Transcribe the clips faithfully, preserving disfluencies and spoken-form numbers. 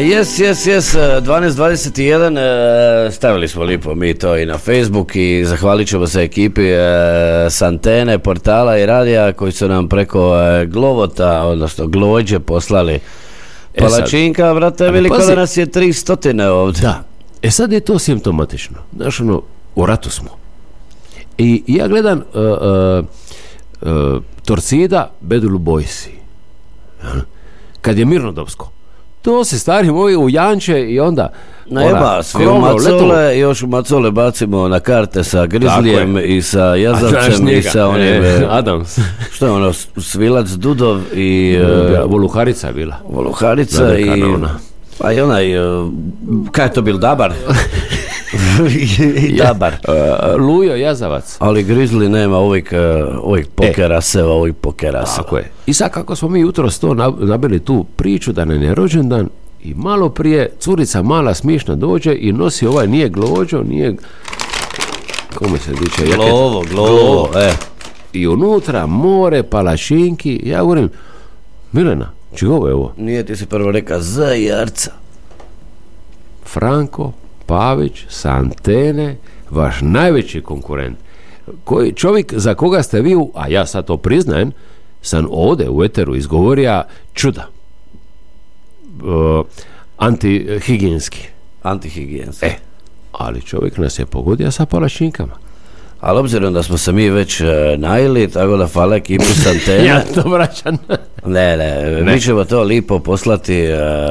Jes, jes, jes, dvanaest dvadeset jedan, stavili smo lipo mi to i na Facebook i zahvalit ćemo se ekipi s antene, portala i radija koji su nam preko Glovota, odnosno Glođe poslali palačinka, e brate, veliko da nas je tri stotine ovdje. Da, e sad je to simptomatično, znaš ono, u ratu smo. I ja gledam uh, uh, uh, Torcida, Bedulu Bojsi, kad je mirnodopsko. To se stari moji u Janče i onda najba, svi u Macole, još u Macole bacimo na karte sa Grizlijem i sa Jazavcem i sa onim e, Adams. Što je ono, Svilac, Dudov i uh, Voluharica je bila. Voluharica da, i ona. Pa i onaj uh, kaj je to bil, Dabar? I Dabar. Uh, Lujo Jazavac. Ali Grizzly nema uvijek, uh, uvijek pokeraseva, uvijek pokeraseva. Tako je. I sad kako smo mi jutros to nabili tu priču da nam je rođendan i malo prije curica mala smišna dođe i nosi ovaj, nije Glođo, nije kome se diče? Glovo, Glovo, e. I unutra more, palačinki, ja govorim, Milena, čigo je ovo? Nije, ti si prvo reka Zajarca. Franko Pavić sa antene, vaš najveći konkurent, koji čovjek za koga ste vi, a ja sad to priznajem, sam ovdje u eteru izgovorio čuda. Uh, antihigijenski. Antihigijenski. E, ali čovjek nas je pogodio sa palačinkama. Ali obzirom da smo se mi već uh, najeli, tako da hvala ekipu s antene. Ja to vraćam. ne, ne, ne, mi ćemo to lipo poslati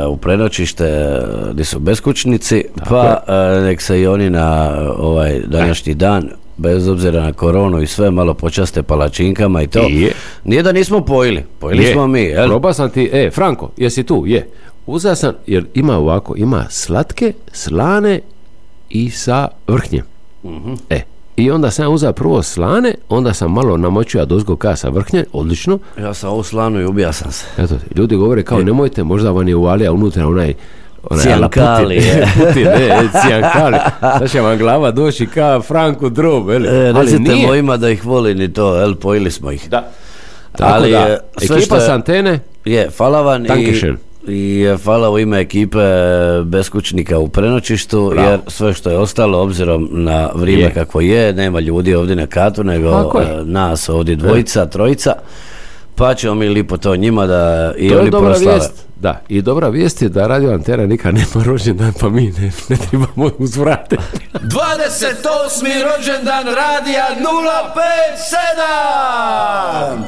uh, u prenoćište uh, gdje su beskućnici, tako pa uh, nek se i oni na ovaj današnji dan, bez obzira na koronu i sve, malo počaste palačinkama i to. Je. Nije da nismo pojili, pojili je. Smo mi. Jel? Proba sam ti, e, Franko, jesi tu? Je. Uzeo sam, jer ima ovako, ima slatke, slane i sa vrhnjem. Uh-huh. E, i onda sam uzeo prvo slane, onda sam malo namočio dozgo kasa vrhnje, odlično. Ja sam ovu slanu i ubija sam se. Eto, ljudi govore kao, nemojte, možda vam je uvalija unutra onaj Cijankali. Putin, ne, cijankali. Sad će vam glava doći ka Franku Drob, eli. E, recite mojima da ih volim i to, el, pojili smo ih. Da. Tako ali, da, ekipa s antene. Je, hvala vam i, i hvala u ime ekipe beskućnika u prenoćištu, bravo. Jer sve što je ostalo, obzirom na vrijeme je. Kakvo je, nema ljudi ovdje na katu, nego nas ovdje dvojica, trojica. Pa ćemo mi lipo to njima da i to oni proslave. Vijest. Da, i dobra vijest je da Radio Antena nikad nema rođendan, pa mi ne, ne trebamo uzvratiti. dvadeset osmi rođendan Radija nula pet sedam!